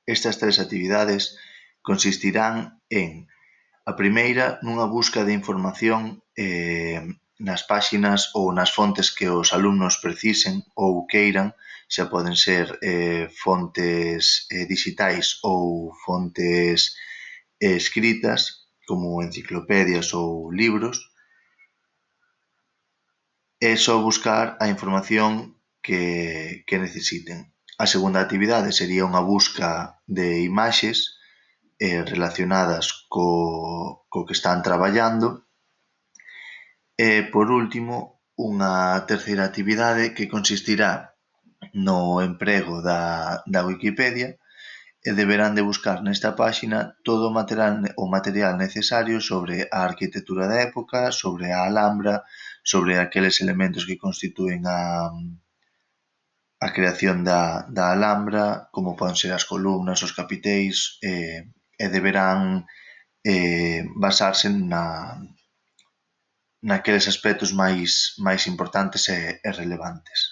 Estas 3 actividades consistirán en: a primeira, nunha busca de información nas páxinas ou nas fontes que os alumnos precisen ou queiran, xa poden ser fontes dixitais ou fontes escritas, como enciclopedias ou libros, é só buscar a información que necesiten. A segunda actividade sería unha busca de imaxes relacionadas co que están traballando. E, por último, unha terceira actividade que consistirá no emprego da Wikipedia, e deberán de buscar nesta páxina todo o material necesario sobre a arquitectura da época, sobre a Alhambra, sobre aqueles elementos que constitúen a creación da Alhambra, como poden ser as columnas, os capiteis, e deberán basarse naqueles aspectos máis importantes e relevantes.